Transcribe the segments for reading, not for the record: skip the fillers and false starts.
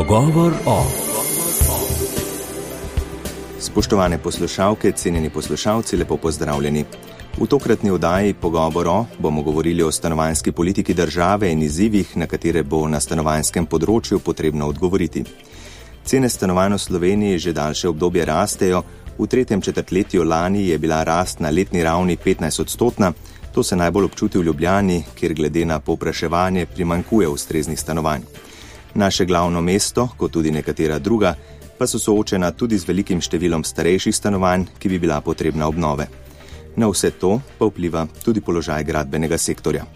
Pogovor o. Spoštovane poslušalke, cenjeni poslušalci, lepo pozdravljeni. V tokratni oddaji Pogovor o bomo govorili o stanovanjski politiki države in izzivih, na katere bo na stanovanjskem področju potrebno odgovoriti. Cene stanovanj v Sloveniji že daljše obdobje rastejo. V tretjem četrtletju lani je bila rast na letni ravni 15%. To se najbolj občuti v Ljubljani, kjer glede na povpraševanje primanjkuje ustreznih stanovanj. Naše glavno mesto, kot tudi nekatera druga, pa so soočena tudi z velikim številom starejših stanovanj, ki bi bila potrebna obnove. Na vse to pa vpliva tudi položaj gradbenega sektorja.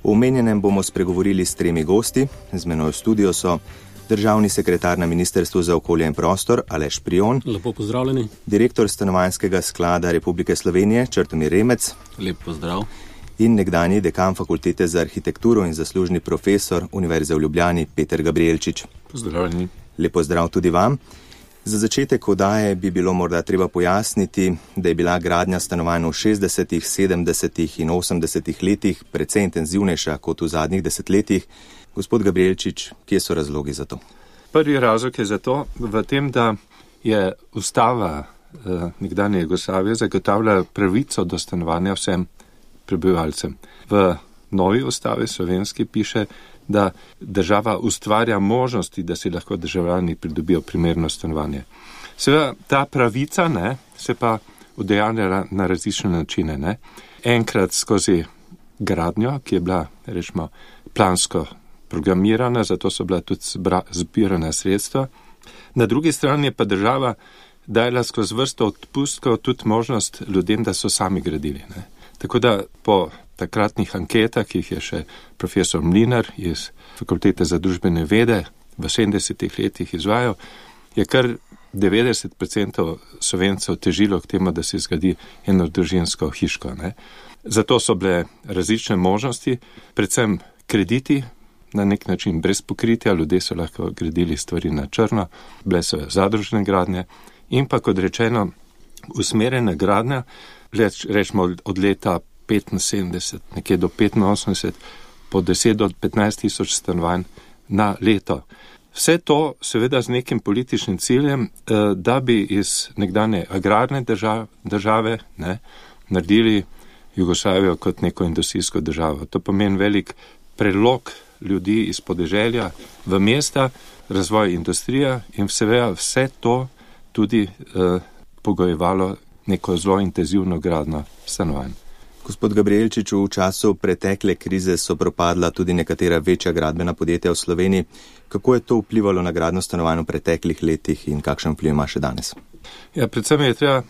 V omenjenem bomo spregovorili s 3 gosti. Z menoj v studiu so državni sekretar na Ministrstvu za okolje in prostor Aleš Prijon. Lepo pozdravljeni. Direktor Stanovanjskega sklada Republike Slovenije Črtomir Remec. Lep pozdrav. In nekdanji dekan Fakultete za arhitekturo in zaslužni profesor Univerze v Ljubljani Peter Gabrielčič. Pozdravljeni. Lep pozdrav tudi vam. Za začetek oddaje bi bilo morda treba pojasniti, da je bila gradnja stanovanj v 60., 70. in 80. letih precej intenzivnejša kot v zadnjih desetletjih. Gospod Gabrielčič, kje so razlogi za to? Prvi razlog je za to v tem, da je ustava nekdanje Jugoslavije zagotavlja pravico do stanovanja vsem prebivalcem. V novi ustavi slovenski piše, da država ustvarja možnosti, da si lahko državljani pridobijo primerno stanovanje. Seveda ta pravica se pa udejanja na različne načine. Enkrat skozi gradnjo, ki je bila rečemo plansko programirana, zato so bila tudi zbirana sredstva. Na drugi strani je pa država dajala skozi vrsto odpustkov tudi možnost ljudem, da so sami gradili. Tako da po takratnih anketah, ki jih je še profesor Mlinar iz Fakultete za družbene vede v 70. letih izvajal, je kar 90% Slovencev težilo k temu, da se zgradi enodružinsko hiško. Zato so bile različne možnosti, predvsem krediti, na nek način brez pokritja, ljudje so lahko gradili stvari na črno, bile so zadružne gradnje in pa, kot rečeno, usmerjena gradnja, rečemo od leta 75, nekje do 85, po 10 do 15 tisoč stanovanj na leto. Vse to seveda z nekim političnim ciljem, da bi iz nekdanje agrarne države naredili Jugoslavijo kot neko industrijsko državo. To pomeni velik prelog ljudi iz podeželja v mesta, razvoj industrija in seveda vse to tudi pogojevalo neko zelo intenzivno gradnjo stanovanj. Gospod Gabrielčič, v času pretekle krize so propadla tudi nekatera večja gradbena podjetja v Sloveniji. Kako je to vplivalo na gradnjo stanovanj v preteklih letih in kakšen vpliv ima še danes? Ja, predvsem je treba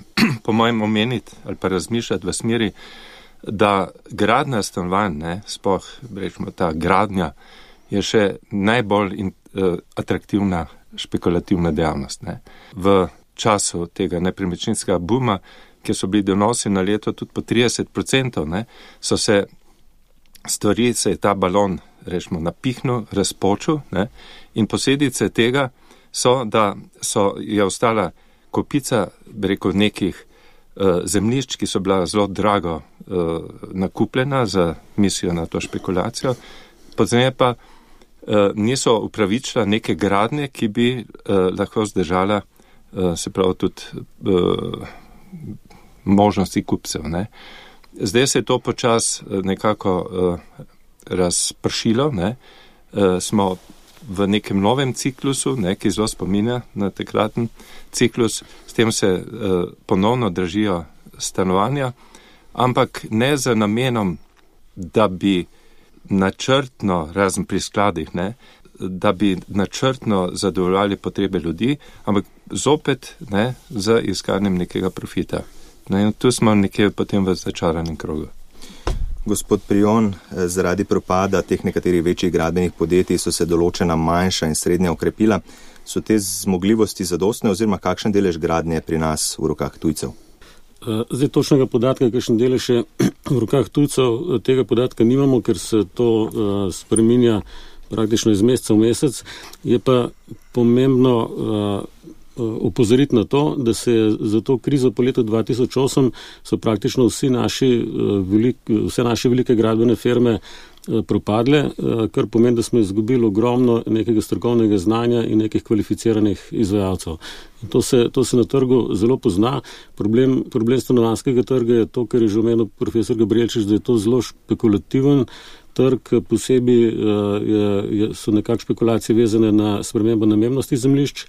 po mojem omeniti ali pa razmišljati v smeri, da gradnja stanovanj, sploh rečemo ta gradnja, je še najbolj atraktivna špekulativna dejavnost. V času tega nepremičninskega buma, kjer so bili donosi na leto tudi po 30%, so se stvari, se je ta balon, rečemo, napihnil, razpočil, in posledice tega so, da je ostala kopica, nekih zemljišč, ki so bila zelo drago nakupljena za mislijo na to špekulacijo, pozneje pa niso upravičila neke gradnje, ki bi lahko zdržala se pravi tudi možnosti kupcev. Zdaj se je to počas nekako razpršilo. Smo v nekem novem ciklusu, ki zelo spominja na takraten ciklus, s tem se ponovno dražijo stanovanja, ampak ne za namenom, da bi načrtno, razen pri skladih, da bi načrtno zadovoljali potrebe ljudi, ampak zopet z iskanjem nekega profita. In tu smo nekje potem v začaranem krogu. Gospod Prijon, zaradi propada teh nekaterih večjih gradbenih podjetij so se določena manjša in srednja okrepila. So te zmogljivosti zadostne oziroma kakšen delež gradnje pri nas v rokah tujcev? Zdaj točnega podatka, kakšen delež je v rokah tujcev, tega podatka nimamo, ker se to spreminja praktično iz meseca v mesec. Je pa pomembno opozoriti na to, da se je za to krizo po letu 2008 so praktično vse naše velike gradbene firme propadle, kar pomeni, da smo izgubili ogromno nekega strokovnega znanja in nekih kvalificiranih izvajalcev. To se na trgu zelo pozna. Problem stanovanjskega trga je to, kar je že omenil profesor Gabrielčič, da je to zelo špekulativen trg, posebej so nekako špekulacije vezane na spremembo namembnosti zemljišč,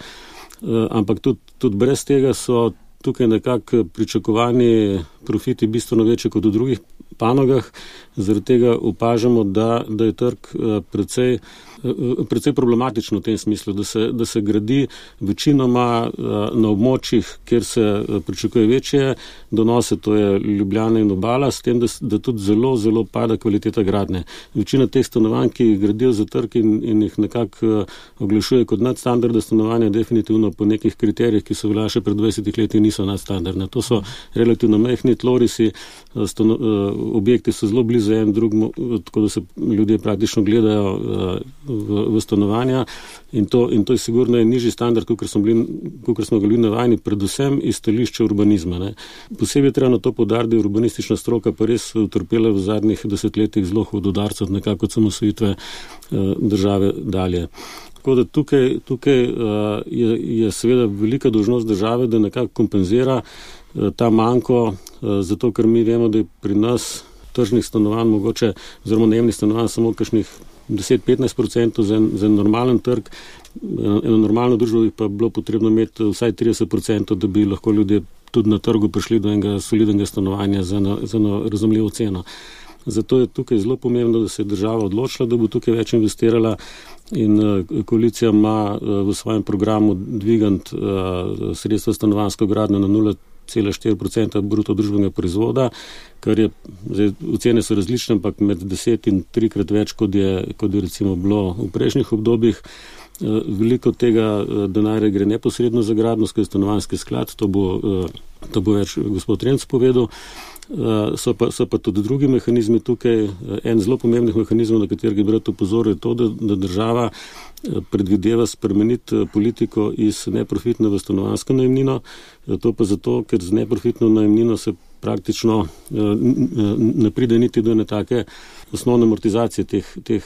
ampak tudi brez tega so tukaj nekako pričakovani profiti bistveno večji kot v drugih panogah. Zaradi tega opažamo, da je trg precej problematično v tem smislu, da se gradi večinoma na območjih, kjer se pričakuje večje donose, to je Ljubljana in Obala, s tem, da tudi zelo, zelo pada kvaliteta gradnje. Večina teh stanovanj, ki jih gradijo za trg in jih nekako oglašuje kot nadstandardna stanovanja, definitivno po nekih kriterijih, ki so veljali še pred 20 leti, niso nadstandardne. To so relativno majhni tlorisi, objekti so zelo blizu en drugemu, tako da se ljudje praktično gledajo v stanovanja in to je sigurno nižji standard, kakor smo ga bili navajeni, predvsem iz stališča urbanizma. Ne. Posebej treba na to poudariti, da je urbanistična stroka pa res utrpela v zadnjih desetletjih zelo hud udarec od nekako od samosvojitve države dalje. Tako da tukaj je seveda velika dolžnost države, da nekako kompenzira ta manko, zato ker mi vemo, da je pri nas tržnih stanovanj mogoče, oziroma najemnih stanovanj samo kakšnih 10-15% za en normalen trg. Eno normalno družbo bi pa bilo potrebno imeti vsaj 30%, da bi lahko ljudje tudi na trgu prišli do enega solidnega stanovanja za eno razumljivo ceno. Zato je tukaj zelo pomembno, da se je država odločila, da bo tukaj več investirala in koalicija ima v svojem programu dvigant sredstva stanovanjsko gradnjo na 0,4% bruto družbenega proizvoda, kar je, zdaj, ocene so različne, ampak med 10 in 3-krat več, kot je recimo bilo v prejšnjih obdobjih. Veliko tega denarja gre neposredno za gradnjo skozi stanovanjski sklad, to bo več gospod Renc povedal. So pa tudi drugi mehanizmi tukaj. En zelo pomembnih mehanizmov, na katerega bi rad opozoril, je to, da država predvideva spremeniti politiko iz neprofitne v stanovanjsko najemnino. To pa zato, ker z neprofitno najemnino se praktično ne pride niti do ene take osnovne amortizacije teh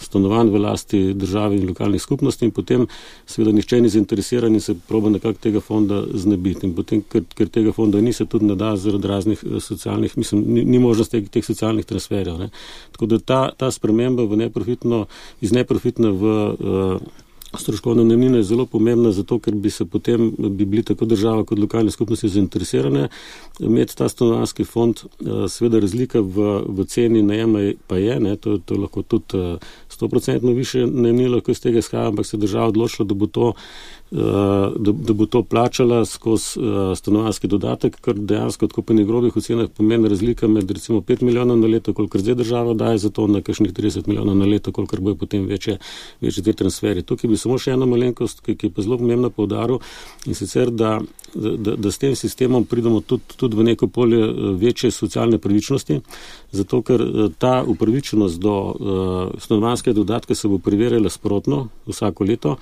stanovanj v lasti države in lokalnih skupnosti in potem seveda nihče ni zainteresiran in se proba nekako tega fonda znebiti. In potem, ker tega fonda ni, se tudi ne da zaradi raznih socialnih, ni možnosti teh socialnih transferjev. Ne. Tako da ta sprememba iz neprofitne v stroškovne najemnine je zelo pomembna, zato ker bi bili tako država kot lokalne skupnosti zainteresirane imeti ta stanovanjski fond. Seveda razlika v ceni najema pa je, ne, to lahko tudi 100% više najemnine lahko iz tega izhaja, ampak se država odločila, da bo to plačala skozi stanovanjski dodatek, kar dejansko tako po negrobih ocenah pomeni razlika med recimo 5 milijonov na leto, kolikor zdaj država daje za to, na kakšnih 30 milijonov na leto, kolikor bojo potem večje te transferje. Tukaj bi samo še ena malenkost, ki je pa zelo pomembna poudaril, in sicer, da s tem sistemom pridemo tudi v neko polje večje socialne pravičnosti, zato ker ta upravičenost do stanovanjskega dodatka se bo preverjala sprotno vsako leto,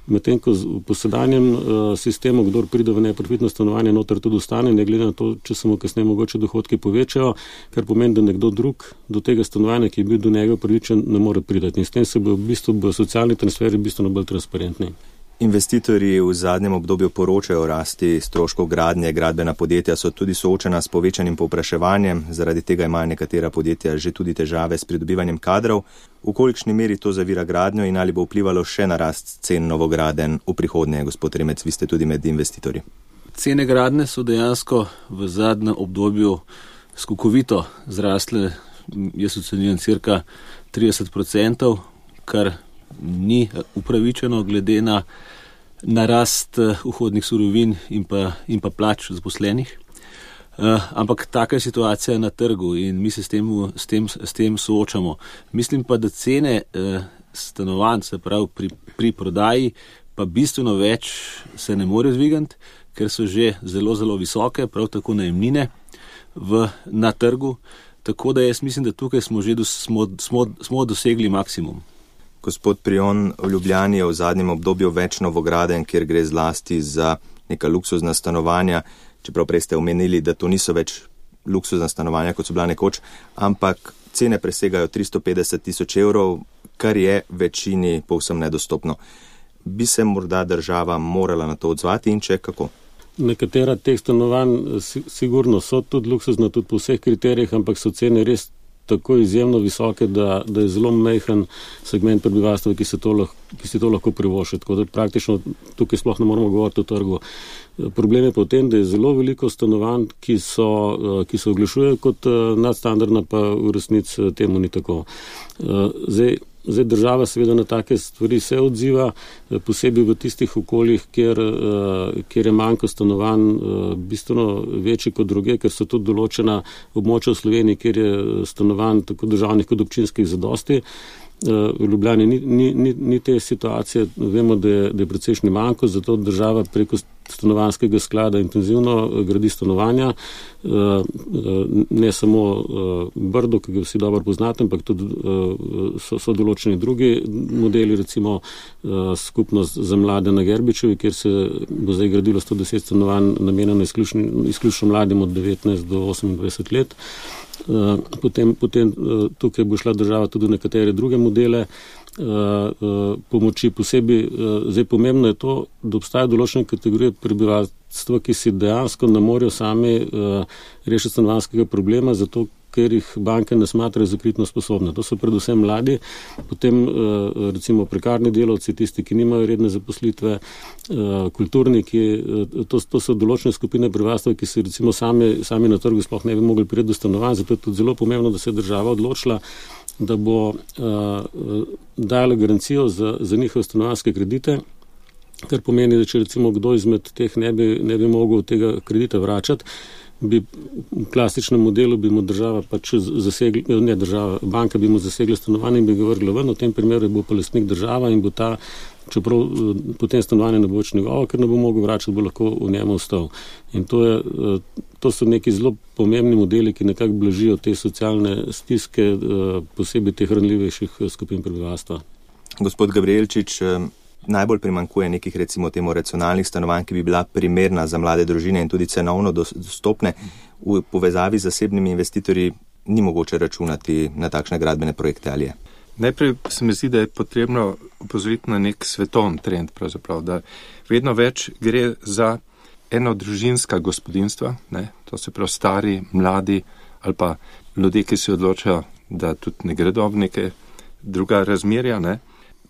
medtem ko po sedanjem sistemu, kdor pride v neprofitno stanovanje, noter tudi ostane, ne glede na to, če se mu kasneje mogoče dohodki povečajo, kar pomeni, da nekdo drug do tega stanovanja, ki je bil do njega upravičen, ne more priti. In s tem se bo v bistvu socialni transferi bistveno bolj transparentni. Investitorji v zadnjem obdobju poročajo o rasti stroškov gradnje. Gradbena podjetja so tudi soočena s povečanim povpraševanjem, zaradi tega imajo nekatera podjetja že tudi težave s pridobivanjem kadrov. V kolikšni meri to zavira gradnjo in ali bo vplivalo še na rast cen novogradenj v prihodnje? Gospod Remec, vi ste tudi med investitorji. Cene gradnje so dejansko v zadnjem obdobju skokovito zrasle, jaz ocenjujem cirka 30%, kar ni upravičeno glede na rast vhodnih surovin in pa plač zaposlenih. Ampak taka je situacija na trgu in mi se s tem soočamo. Mislim pa, da cene stanovanj, se pravi pri prodaji, pa bistveno več se ne more zvigati, ker so že zelo, zelo visoke, prav tako najemnine na trgu. Tako da jaz mislim, da tukaj smo dosegli maksimum. Gospod Prijon, v Ljubljani je v zadnjem obdobju več novogradenj, kjer gre zlasti za neka luksuzna stanovanja, čeprav prej ste omenili, da to niso več luksuzna stanovanja, kot so bila nekoč, ampak cene presegajo 350 000 evrov, kar je večini povsem nedostopno. Bi se morda država morala na to odzvati in če kako? Nekatera teh stanovanj sigurno so tudi luksuzna, tudi po vseh kriterijih, ampak so cene res tako izjemno visoke, da je zelo majhen segment prebivalstva, ki si to lahko privošči. Tako da praktično tukaj sploh ne moramo govoriti o trgu. Problem je pa v tem, da je zelo veliko stanovanj, ki se oglašujejo kot nadstandardna, pa v resnici temu ni tako. Zdaj država seveda na take stvari se odziva, posebej v tistih okoljih, kjer je manjko stanovanj bistveno večji kot druge, ker so tudi določena območja v Sloveniji, kjer je stanovanj tako državnih kot občinskih zadosti. V Ljubljani ni te situacije, vemo, da je precejšnji manjko, zato država preko stanovanjskega sklada intenzivno gradi stanovanja, ne samo Brdo, ki ga vsi dobro poznate, ampak tudi so določeni drugi modeli, recimo skupnost za mlade na Gerbičevi, kjer se bo zdaj gradilo 110 stanovanj namenjeno izključno mladim od 19 do 28 let. Potem tukaj bo šla država tudi v nekatere druge modele pomoči posebej. Zdaj pomembno je to, da obstaja določene kategorije prebivalstva, ki si dejansko ne morejo sami rešiti stanovanjskega problema, zato ker jih banke ne smatrajo za kreditno sposobne. To so predvsem mladi, potem recimo prekarni delavci, tisti, ki nimajo redne zaposlitve, kulturniki, to so določene skupine prebivalstva, ki se recimo sami na trgu sploh ne bi mogli priti do stanovanj, zato je tudi zelo pomembno, da se je država odločila, da bo dala garancijo za njihove stanovanjske kredite, kar pomeni, da če recimo kdo izmed teh ne bi mogel tega kredita vračati, bi v klasičnem modelu bi mu država pač banka bi mu zasegla stanovanje in bi ga vrgla ven, v tem primeru bo pa lastnik država in bo ta, čeprav potem stanovanje ne bo več njegovo, ker ne bo mogel vračati, bo lahko v njemu ostal. In to so neki zelo pomembni modeli, ki nekako blažijo te socialne stiske, posebej teh ranljivejših skupin prebivalstva. Gospod Gabrielčič, najbolj primanjkuje nekih recimo temu racionalnih stanovanj, ki bi bila primerna za mlade družine in tudi cenovno dostopne. V povezavi z zasebnimi investitorji ni mogoče računati na takšne gradbene projekte, ali je? Najprej se mi zdi, da je potrebno upozoriti na nek svetovni trend, pravzaprav, da vedno več gre za enodružinska gospodinjstva, ne? To se pravi stari, mladi ali pa ljudje, ki se odločajo, da tudi ne gredo v neke druga razmerja, ne?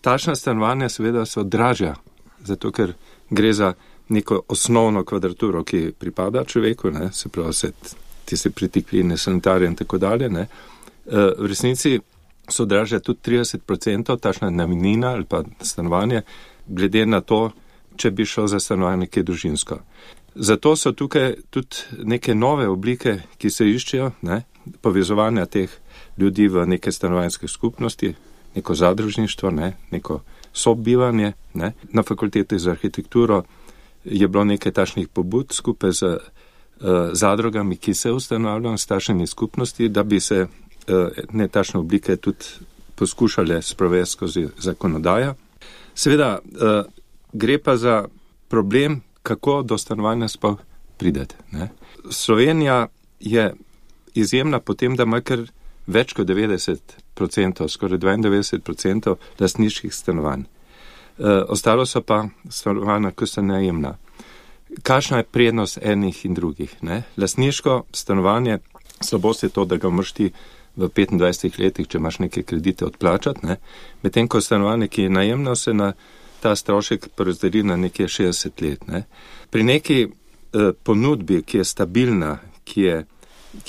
Takšna stanovanja seveda so dražja, zato ker gre za neko osnovno kvadraturo, ki pripada človeku, ne? Se pravi tiste pritikline, sanitarije in tako dalje. Ne? V resnici so dražja tudi 30%, takšna najemnina ali pa stanovanje, glede na to, če bi šlo za stanovanje, ki je družinsko. Zato so tukaj tudi neke nove oblike, ki se iščejo, ne? Povezovanja teh ljudi v neke stanovanjske skupnosti, neko zadružništvo, ne? Neko sobivanje. Ne? Na fakulteti za arhitekturo je bilo nekaj takšnih pobud skupaj z zadrugami, ki se ustanavljajo s takšnimi skupnosti, da bi se ne takšne oblike tudi poskušale sprovesti skozi zakonodajo. Seveda gre pa za problem, kako do stanovanja sploh prideti. Ne? Slovenija je izjemna po tem, da ima kar več kot 90%, skoraj 92% lastniških stanovanj. Ostalo so pa stanovanja, ki so najemna. Kakšna je prednost enih in drugih? Ne? Lastniško stanovanje, slabost je to, da ga moraš ti v 25 letih, če imaš neke kredite odplačati, ne? Medtem ko stanovanje, ki je najemno, se na ta strošek porazdeli na nekje 60 let. Ne? Pri neki ponudbi, ki je stabilna, ki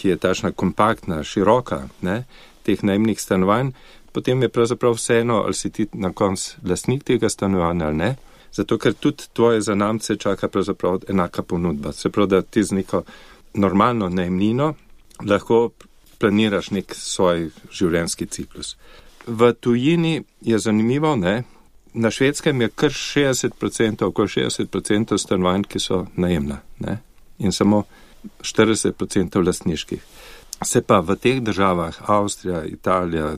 je tašna kompaktna, široka, ne, teh najemnih stanovanj, potem je pravzaprav vseeno, ali si ti na koncu lastnik tega stanovanja ali ne, zato ker tudi tvoje zanamce čaka pravzaprav enaka ponudba. Se pravi, da ti z neko normalno najemnino lahko planiraš nek svoj življenjski ciklus. V tujini je zanimivo, ne, na Švedskem je kar 60%, okoli 60% stanovanj, ki so najemna, ne, in samo 40% lastniških. Se pa v teh državah, Avstrija, Italija,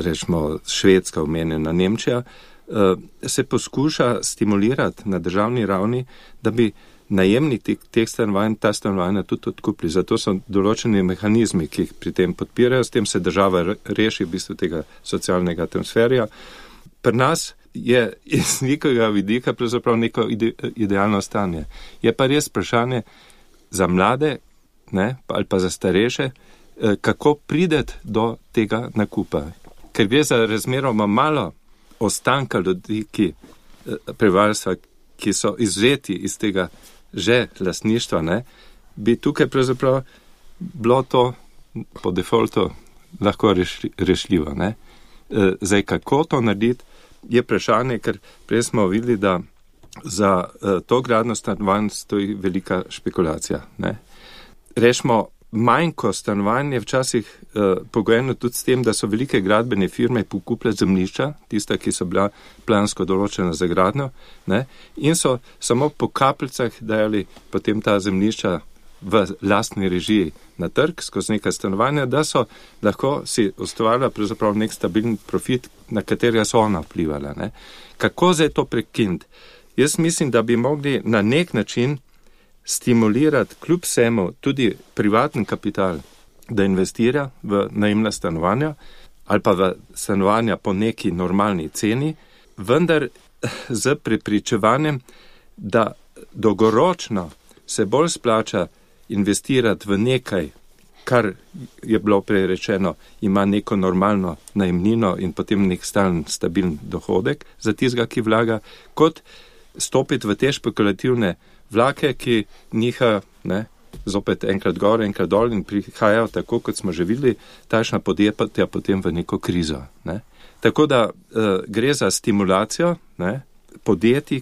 rečemo Švedska, omenjena Nemčija, se poskuša stimulirati na državni ravni, da bi najemniki teh stanovanj ta stanovanja tudi odkupili. Zato so določeni mehanizmi, ki jih pri tem podpirajo, s tem se država reši v bistvu tega socialnega transferja. Pri nas je iz nekega vidika pravzaprav neko idealno stanje. Je pa res vprašanje za mlade, ne, ali pa za starejše, kako prideti do tega nakupa. Ker gre za razmeroma malo ostanka ljudi, prebivalstva, ki so izvzeti iz tega že lastništva, ne, bi tukaj pravzaprav bilo to po defaultu lahko rešljivo. Ne. Zdaj, kako to narediti, je vprašanje, ker prej smo videli, da za to gradnjo stanovanj stoji velika špekulacija. Ne. Rešimo, manjko stanovanje je včasih pogojeno tudi s tem, da so velike gradbene firme pokupile zemljišča, tista, ki so bila plansko določena za gradnjo, ne, in so samo po kapljicah dajali potem ta zemljišča v lastni režiji na trg skozi neka stanovanja, da so lahko si ustvarjala pravzaprav nek stabilen profit, na katerega so ona vplivala. Ne. Kako zdaj to prekiniti? Jaz mislim, da bi mogli na nek način stimulirati kljub vsemu tudi privatni kapital, da investira v najemna stanovanja ali pa v stanovanja po neki normalni ceni, vendar z prepričevanjem, da dolgoročno se bolj splača investirati v nekaj, kar je bilo prej rečeno, ima neko normalno najemnino in potem nek stalen, stabilen dohodek za tistega, ki vlaga, kot stopiti v te špekulativne vlake, ki nihajo, ne, zopet enkrat gor, enkrat dol in prihajajo tako, kot smo že videli, takšna podjetja potem v neko krizo. Ne. Tako da gre za stimulacijo, ne, podjetij,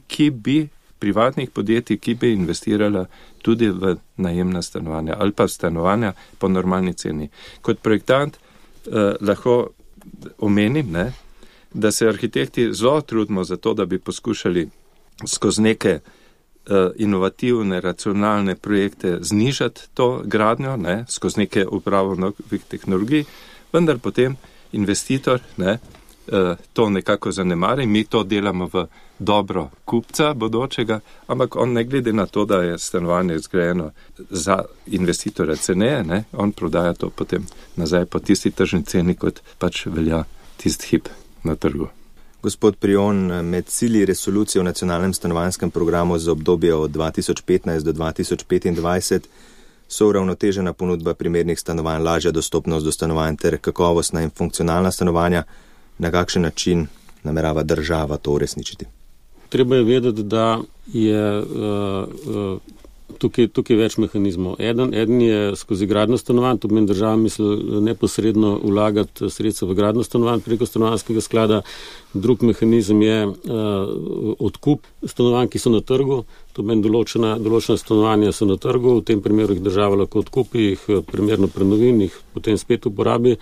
privatnih podjetij, ki bi investirala tudi v najemna stanovanja ali pa stanovanja po normalni ceni. Kot projektant lahko omenim, ne, da se arhitekti zelo trudimo za to, da bi poskušali skozi neke inovativne, racionalne projekte znižati to gradnjo, ne, skozi neke upravo novih tehnologij, vendar potem investitor, ne, to nekako zanemari, mi to delamo v dobro kupca bodočega, ampak on ne glede na to, da je stanovanje zgrajeno za investitorja ceneje, ne, on prodaja to potem nazaj po tisti tržni ceni, kot pač velja tisti hip na trgu. Gospod Prijon, med cilji resolucije o nacionalnem stanovanjskem programu za obdobje od 2015 do 2025 so uravnotežena ponudba primernih stanovanj, lažja dostopnost do stanovanj ter kakovostna in funkcionalna stanovanja. Na kakšen način namerava država to uresničiti? Treba je vedeti, da je tukaj več mehanizmov. Eden je skozi gradnjo stanovanj, to pomeni država misli neposredno vlagati sredstva v gradnjo stanovanj preko stanovanjskega sklada. Drug mehanizem je odkup stanovanj, ki so na trgu, to pomeni določena stanovanja so na trgu, v tem primeru jih država lahko odkupi, jih primerno prenovi, jih potem spet uporabi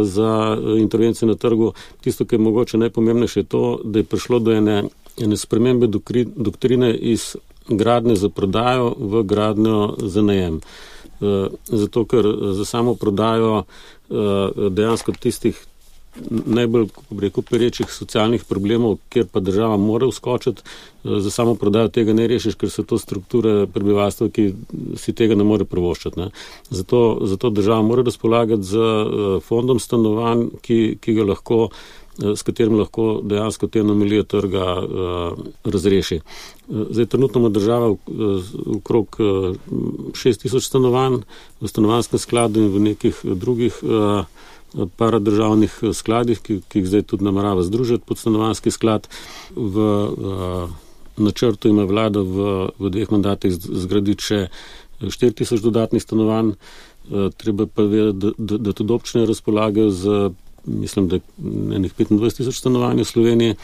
za intervencije na trgu. Tisto, ki je mogoče najpomembnejše, je to, da je prišlo do ene spremembe doktrine iz gradnje za prodajo v gradnjo za najem. Zato, ker za samo prodajo dejansko tistih najbolj, kako bi rekel, perečih socialnih problemov, kjer pa država mora vskočiti, za samo prodajo tega ne rešiš, ker so to strukture prebivalstva, ki si tega ne more privoščiti. Ne. Zato država mora razpolagati z fondom stanovanj, ki ga lahko, s katerim lahko dejansko te anomalije trga razreši. Zdaj, trenutno ima država okrog 6000 stanovanj v stanovanjskem skladu in v nekih drugih paradržavnih skladih, ki jih zdaj tudi namerava združiti pod stanovanjski sklad. V načrtu ima vlada v 2 mandatih zgraditi še 4000 dodatnih stanovanj. Treba pa vedeti, da tudi občine razpolagajo z, mislim, da enih 25,000 stanovanj v Sloveniji.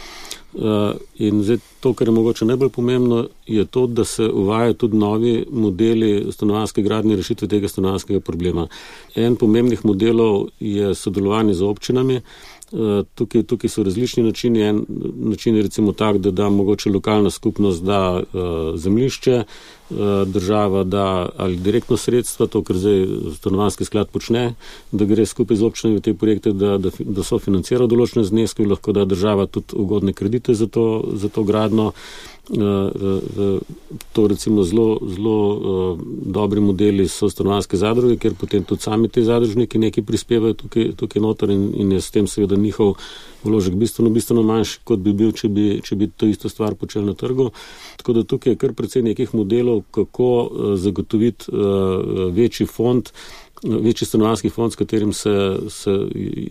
In zdaj to, kar je mogoče najbolj pomembno, je to, da se uvajajo tudi novi modeli stanovanjske gradnje rešitve tega stanovanjskega problema. En pomembnih modelov je sodelovanje z občinami. Tukaj so različni načini. En način je recimo tak, da da mogoče lokalna skupnost da zemljišče, država da ali direktno sredstva, to, kar zdaj stanovanjski sklad počne, da gre skupaj z občinami v te projekte, da so financirajo določene zneske, lahko da država tudi ugodne kredite za to gradnjo. To recimo zelo dobri modeli so stanovanjske zadruge, ker potem tudi sami te zadružniki nekaj prispevajo tukaj noter in je s tem seveda njihov vložek bistveno manjši, kot bi bil, če bi to isto stvar počeli na trgu. Tako da tukaj je kar precej nekih modelov, kako zagotoviti večji stanovanjski fond, s katerim se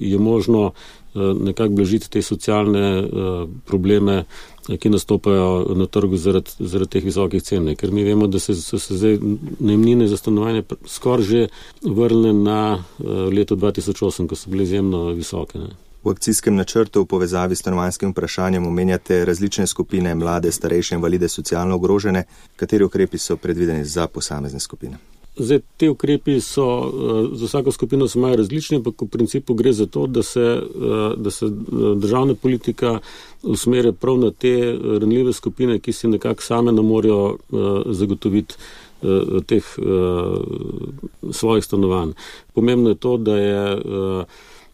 je možno nekako blažiti te socialne probleme, ki nastopajo na trgu zaradi teh visokih cen. Ker mi vemo, da so se zdaj najemnine za stanovanje skoraj že vrnile na leto 2008, ko so bile izjemno visoke. Ne. V akcijskem načrtu v povezavi s stanovanjskim vprašanjem omenjate različne skupine, mlade, starejše, invalide, socialno ogrožene. Kateri ukrepi so predvideni za posamezne skupine? Zdaj, te ukrepi so, za vsako skupino so malo različni, ampak v principu gre za to, da se državna politika usmerja prav na te ranljive skupine, ki si nekako same ne morejo zagotoviti teh svojih stanovanj. Pomembno je to, da je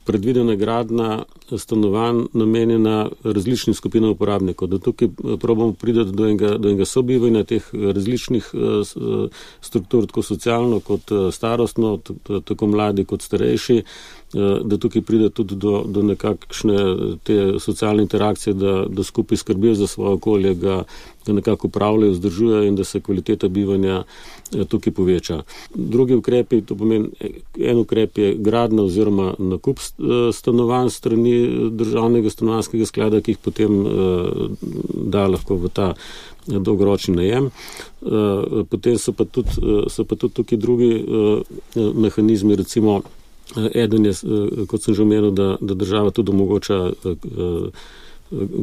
predvidena gradnja stanovanj namenjena različnim skupinam uporabnikov, da tukaj probamo priti do enega sobivanja teh različnih struktur, tako socialno kot starostno, tako mladi kot starejši, da tukaj pride tudi do nekakšne te socialne interakcije, da skupaj skrbijo za svoje okolje, ga nekako upravljajo, vzdržujejo in da se kvaliteta bivanja tukaj poveča. Drugi ukrepi, to pomeni, en ukrep je gradnja oziroma nakup stanovanj strani državnega stanovanjskega sklada, ki jih potem da lahko v ta dolgoročni najem. Potem so pa tudi tukaj drugi mehanizmi, recimo eden je, kot sem že omenil, da država tudi omogoča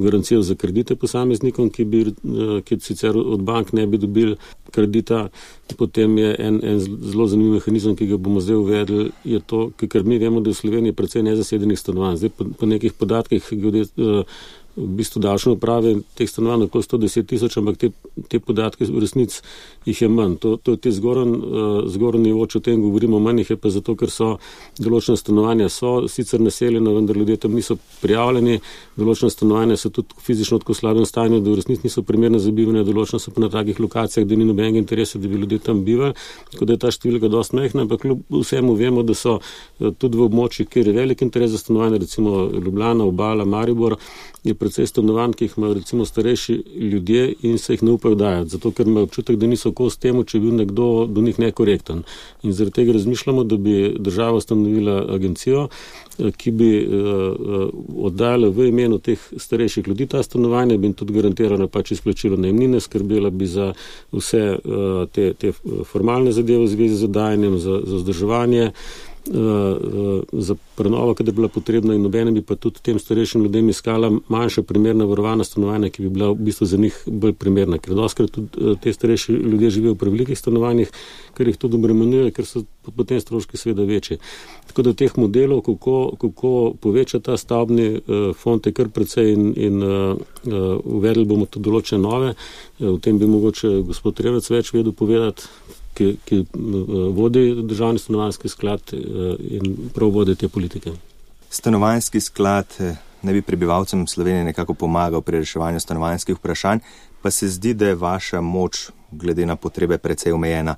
garancijo za kredite posameznikom, ki sicer od bank ne bi dobili kredita. Potem je en zelo zanimiv mehanizem, ki ga bomo zdaj uvedli, je to, ker mi vemo, da je v Sloveniji precej nezasedenih stanovanj. Zdaj po nekih podatkih v bistvu davčne uprave teh stanovanj okoli 110 tisoč, ampak te podatke v resnici jih je manj. To je te zgoren nivo, če o tem govorimo, manj jih je pa zato, ker so določena stanovanja sicer naseljena, vendar ljudje tam niso prijavljeni, določena stanovanja so tudi fizično tako slabem stanju, da v resnici niso primerne za bivanje, določena so pa na takih lokacijah, da ni nobenega interesa, da bi ljudje tam bivali, tako da je ta številka dosti majhna, ampak kljub vsemu vemo, da so tudi v območjih, kjer je velik interes za stanovanje, recimo Ljubljana, Obala, Maribor, je precej stanovanj, ki jih imajo recimo starejši ljudje in se jih ne upajo dajati, zato ker imajo občutek, da niso kos temu, če bi bil nekdo do njih nekorekten. In zaradi tega razmišljamo, da bi država ustanovila agencijo, ki bi oddajala v imenu teh starejših ljudi ta stanovanja, bi jim tudi garantirala pač izplačilo najemnine, skrbela bi za vse te formalne zadeve v zvezi z oddajanjem, za vzdrževanje, za prenovo, kadar je bila potrebna, in nobene bi pa tudi tem starejšim ljudem iskala manjša primerna varovana stanovanja, ki bi bila v bistvu za njih bolj primerna, ker doskrat tudi te starejši ljudje živijo v prevelikih stanovanjih, ker jih tudi obremenjuje, ker so potem stroški seveda večji. Tako da teh modelov, kako poveča ta stavbni fond, je kar precej in uvedli bomo tudi določene nove. O tem bi mogoče gospod Revec več vedel povedati, ki vodi državni stanovanjski sklad in prav vodi te politike. Stanovanjski sklad ne bi prebivalcem Slovenije nekako pomagal pri reševanju stanovanjskih vprašanj, pa se zdi, da je vaša moč glede na potrebe precej omejena.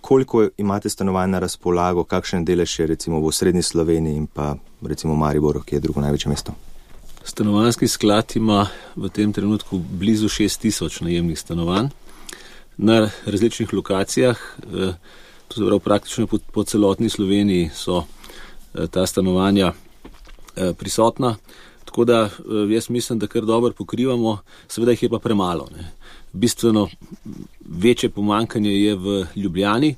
Koliko imate stanovanj na razpolago, kakšen delež je recimo v osrednji Sloveniji in pa recimo Mariboru, ki je drugo največje mesto? Stanovanjski sklad ima v tem trenutku blizu 6,000 najemnih stanovanj na različnih lokacijah, to se pravi praktično po celotni Sloveniji so ta stanovanja prisotna, tako da jaz mislim, da kar dobro pokrivamo, seveda jih je pa premalo. Ne. Bistveno večje pomanjkanje je v Ljubljani,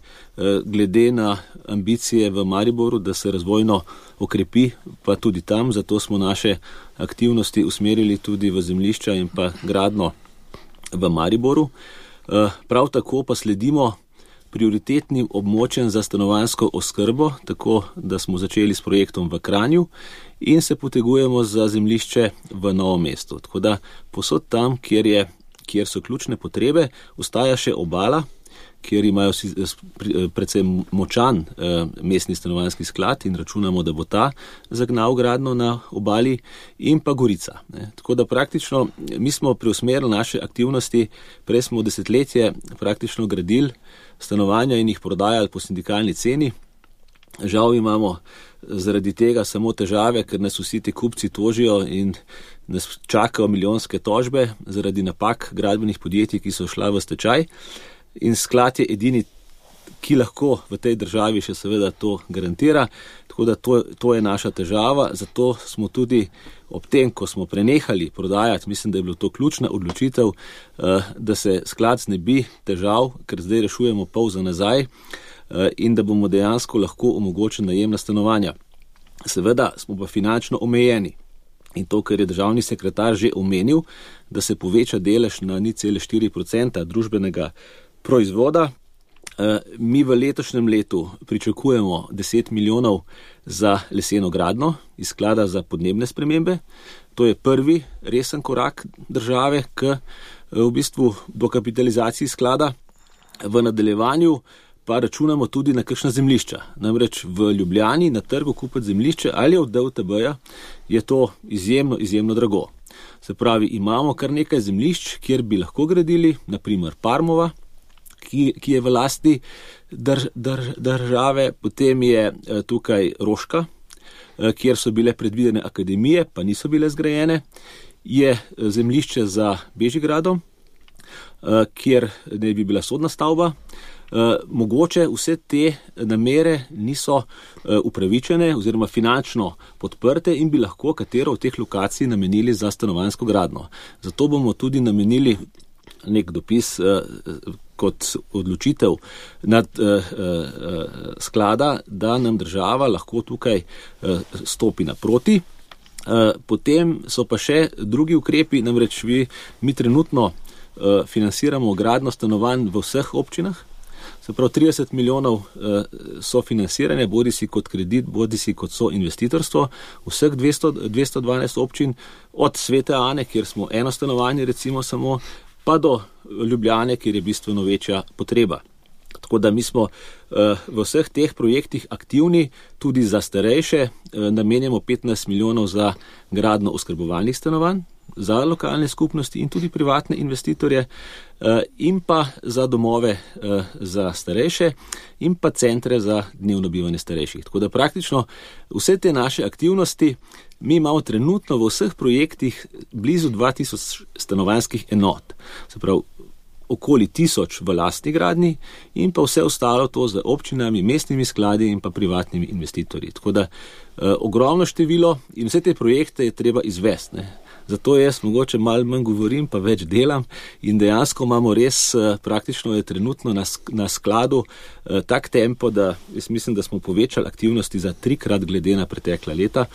glede na ambicije v Mariboru, da se razvojno okrepi, pa tudi tam, zato smo naše aktivnosti usmerili tudi v zemljišča in pa gradno v Mariboru. Prav tako pa sledimo prioritetnim območjem za stanovanjsko oskrbo, tako da smo začeli s projektom v Kranju in se potegujemo za zemljišče v Novem mestu. Tako da posod tam, kjer so ključne potrebe, ostaja še Obala, kjer imajo predvsem močan mestni stanovanjski sklad in računamo, da bo ta zagnal gradnjo na obali, in pa Gorica. Tako da praktično mi smo preusmerili naše aktivnosti, prej smo desetletje praktično gradili stanovanja in jih prodajali po sindikalni ceni. Žal imamo zaradi tega samo težave, ker nas vsi ti kupci tožijo in nas čakajo milijonske tožbe zaradi napak gradbenih podjetij, ki so šla v stečaj. In sklad je edini, ki lahko v tej državi še seveda to garantira, tako da to je naša težava. Zato smo tudi ob tem, ko smo prenehali prodajati, mislim, da je bilo to ključna odločitev, da se sklad znebi težav, ker zdaj rešujemo pol za nazaj, in da bomo dejansko lahko omogočili najemna stanovanja. Seveda smo pa finančno omejeni. In to, kar je državni sekretar že omenil, da se poveča delež na 0,4% družbenega proizvoda. Mi v letošnjem letu pričakujemo 10 milijonov za leseno gradnjo iz sklada za podnebne spremembe. To je prvi resen korak države k v bistvu dokapitalizaciji sklada. V nadaljevanju pa računamo tudi na kakšna zemljišča. Namreč v Ljubljani na trgu kupiti zemljišče ali od DUTB-ja je to izjemno drago. Se pravi, imamo kar nekaj zemljišč, kjer bi lahko gradili, naprimer Parmova, ki je v lasti države, potem je tukaj Roška, kjer so bile predvidene akademije, pa niso bile zgrajene, je zemljišče za Bežigradom, kjer ne bi bila sodna stavba. Mogoče vse te namere niso upravičene oziroma finančno podprte in bi lahko katero od teh lokacij namenili za stanovanjsko gradnjo. Zato bomo tudi namenili nek dopis kot odločitev nad sklada, da nam država lahko tukaj stopi naproti. Potem so pa še drugi ukrepi, namreč mi trenutno financiramo gradnjo stanovanj v vseh občinah. Se pravi, 30 milijonov sofinanciranja, bodisi kot kredit, bodisi kot soinvestitorstvo, vseh 212 občin, od Svete Ane, kjer smo eno stanovanje recimo samo, pa do Ljubljane, kjer je bistveno večja potreba. Tako da mi smo v vseh teh projektih aktivni, tudi za starejše, namenjamo 15 milijonov za gradnjo oskrbovalnih stanovanj, za lokalne skupnosti in tudi privatne investitorje, in pa za domove za starejše in pa centre za dnevno bivanje starejših. Tako da praktično vse te naše aktivnosti mi imamo trenutno v vseh projektih blizu 2000 stanovanjskih enot. Se pravi, okoli 1000 v lastni gradnji in pa vse ostalo to z občinami, mestnimi skladi in pa privatnimi investitorji. Tako da ogromno število in vse te projekte je treba izvesti, ne. Zato jaz mogoče malo manj govorim, pa več delam in dejansko imamo res, praktično je trenutno na skladu tak tempo, da jaz mislim, da smo povečali aktivnosti za 3-krat glede na pretekla leta,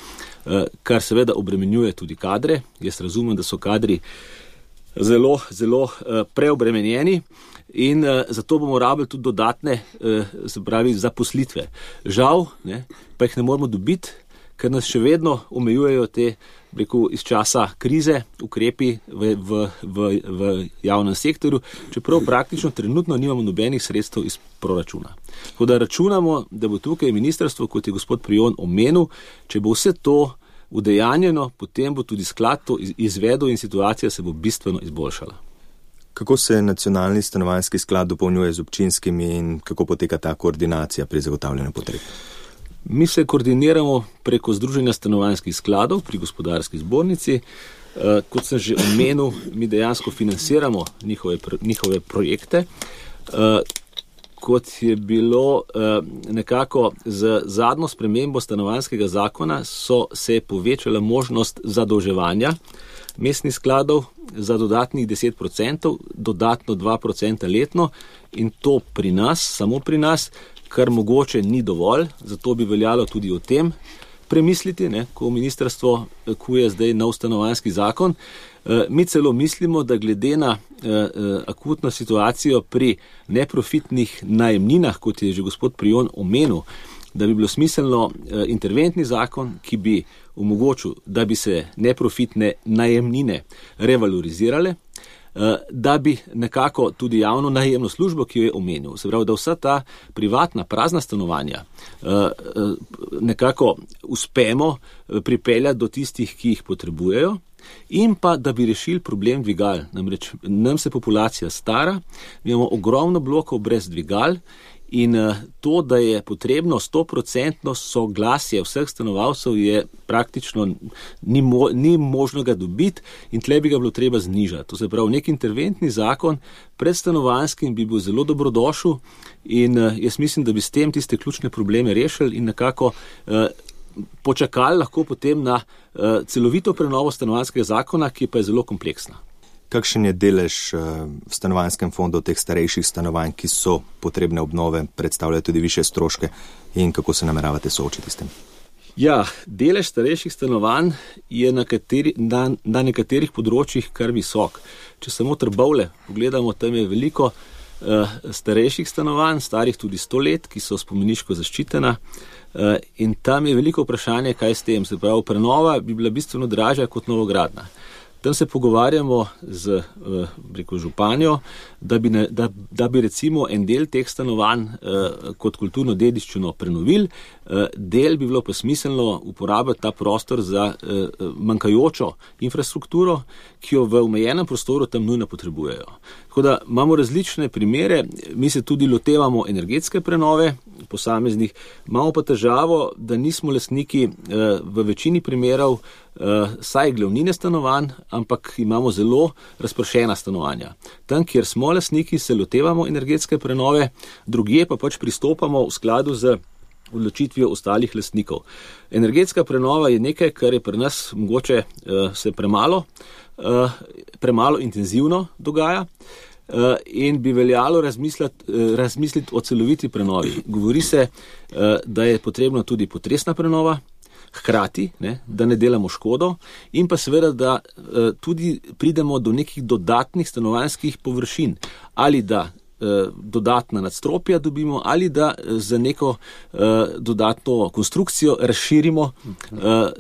kar seveda obremenjuje tudi kadre. Jaz razumem, da so kadri zelo preobremenjeni in zato bomo rabili tudi dodatne, se pravi, zaposlitve. Žal, ne, pa jih ne moramo dobiti, ker nas še vedno omejujejo te, iz časa krize, ukrepi v javnem sektorju, čeprav praktično trenutno nimamo nobenih sredstev iz proračuna. Tako da računamo, da bo tukaj ministrstvo, kot je gospod Prijon omenil, če bo vse to udejanjeno, potem bo tudi sklad to izvedel in situacija se bo bistveno izboljšala. Kako se nacionalni stanovanjski sklad dopolnjuje z občinskimi in kako poteka ta koordinacija pri zagotavljanju potreb? Mi se koordiniramo preko Združenja stanovanjskih skladov pri Gospodarski zbornici. Kot sem že omenil, mi dejansko financiramo njihove projekte. Kot je bilo nekako z zadnjo spremembo stanovanjskega zakona, se je povečala možnost zadolževanja mestnih skladov za dodatnih 10%, dodatno 2% letno in to pri nas, samo pri nas, kar mogoče ni dovolj, zato bi veljalo tudi o tem premisliti, ne, ko ministrstvo kuje zdaj nov stanovanjski zakon. Mi celo mislimo, da glede na akutno situacijo pri neprofitnih najemninah, kot je že gospod Prijon omenil, da bi bilo smiselno interventni zakon, ki bi omogočil, da bi se neprofitne najemnine revalorizirale, da bi nekako tudi javno najemno službo, ki jo je omenil, se pravi, da vsa ta privatna prazna stanovanja nekako uspemo pripeljati do tistih, ki jih potrebujejo, in pa da bi rešili problem dvigal. Namreč nam se populacija stara, imamo ogromno blokov brez dvigal, in to, da je potrebno 100% soglasje vseh stanovalcev, je praktično ni možno ga dobiti in tle bi ga bilo treba znižati. To se pravi, nek interventni zakon pred stanovanjskim bi bil zelo dobrodošel in jaz mislim, da bi s tem tiste ključne probleme rešili in nekako počakali lahko potem na celovito prenovo stanovanjskega zakona, ki pa je zelo kompleksna. Kakšen je delež v stanovanjskem fondu teh starejših stanovanj, ki so potrebne obnove, predstavljajo tudi više stroške in kako se nameravate soočiti s tem? Ja, delež starejših stanovanj je na nekaterih področjih kar visok. Če samo Trbovlje pogledamo, tam je veliko starejših stanovanj, starih tudi 100 let, ki so spomeniško zaščitena. In tam je veliko vprašanje, kaj s tem. Se pravi, prenova bi bila bistveno dražja kot novogradnja. Tam se pogovarjamo z županjo, da bi recimo en del teh stanovanj kot kulturno dediščino prenovili, del bi bilo pa smiselno uporabiti ta prostor za manjkajočo infrastrukturo, ki jo v omejenem prostoru tam nujno potrebujejo. Tako da imamo različne primere, mi se tudi lotevamo energetske prenove posameznih, imamo pa težavo, da nismo lastniki v večini primerov saj glavnine stanovanj, ampak imamo zelo razpršena stanovanja. Tam, kjer smo lastniki, se lotevamo energetske prenove, drugje pa pač pristopamo v skladu z odločitvijo ostalih lastnikov. Energetska prenova je nekaj, kar je pri nas mogoče se premalo intenzivno dogaja in bi veljalo razmisliti o celoviti prenovi. Govori se, da je potrebno tudi potresna prenova, hkrati, da ne delamo škodo in pa seveda, da tudi pridemo do nekih dodatnih stanovanjskih površin, ali da dodatna nadstropja dobimo, ali da za neko dodatno konstrukcijo razširimo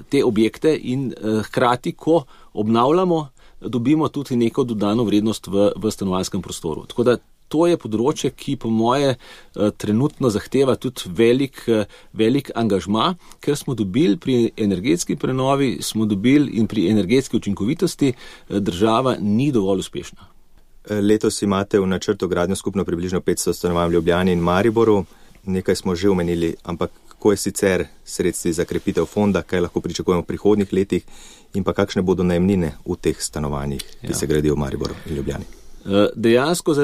te objekte in hkrati, ko obnavljamo, dobimo tudi neko dodano vrednost v stanovanjskem prostoru. Tako da to je področje, ki po moje trenutno zahteva tudi velik angažma, ker smo dobili pri energetski prenovi, in pri energetski učinkovitosti država ni dovolj uspešna. Letos imate v načrtu gradnjo skupno približno 500 stanovanj v Ljubljani in Mariboru. Nekaj smo že omenili, ampak kako je sicer sredstvi za krepitev fonda, kaj lahko pričakujemo v prihodnjih letih in pa kakšne bodo najemnine v teh stanovanjih, ki se gradijo v Mariboru in Ljubljani? Dejansko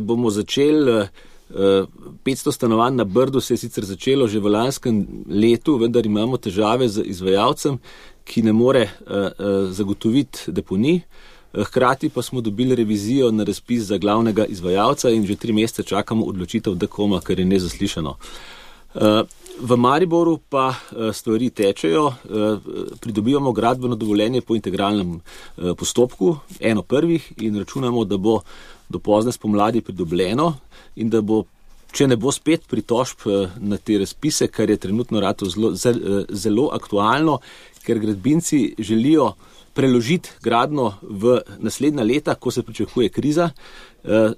bomo začeli 500 stanovanj na Brdu, se je sicer začelo že v lanskem letu, vendar imamo težave z izvajalcem, ki ne more zagotoviti deponij. Hkrati pa smo dobili revizijo na razpis za glavnega izvajalca in že 3 mesece čakamo odločitev DKOM-a, kar je nezaslišano. V Mariboru pa stvari tečejo, pridobivamo gradbeno dovoljenje po integralnem postopku, eno prvih, in računamo, da bo do pozne spomladi pridobljeno in da bo, če ne bo spet pritožb na te razpise, kar je trenutno zelo aktualno, ker gradbinci želijo preložiti gradnjo v naslednja leta, ko se pričakuje kriza.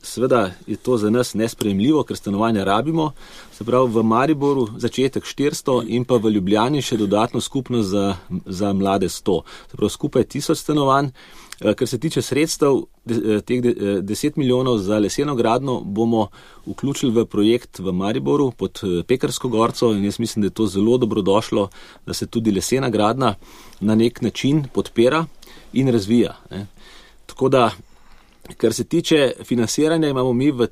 Seveda je to za nas nesprejemljivo, ker stanovanja rabimo. Se pravi, v Mariboru začetek 400 in pa v Ljubljani še dodatno skupno za mlade 100. Se pravi, skupaj 1000 stanovanj. Kar se tiče sredstev, teh 10 milijonov za leseno gradnjo bomo vključili v projekt v Mariboru pod Pekarsko gorco in jaz mislim, da je to zelo dobrodošlo, da se tudi lesena gradnja na nek način podpira in razvija. Tako da, kar se tiče financiranja, imamo mi v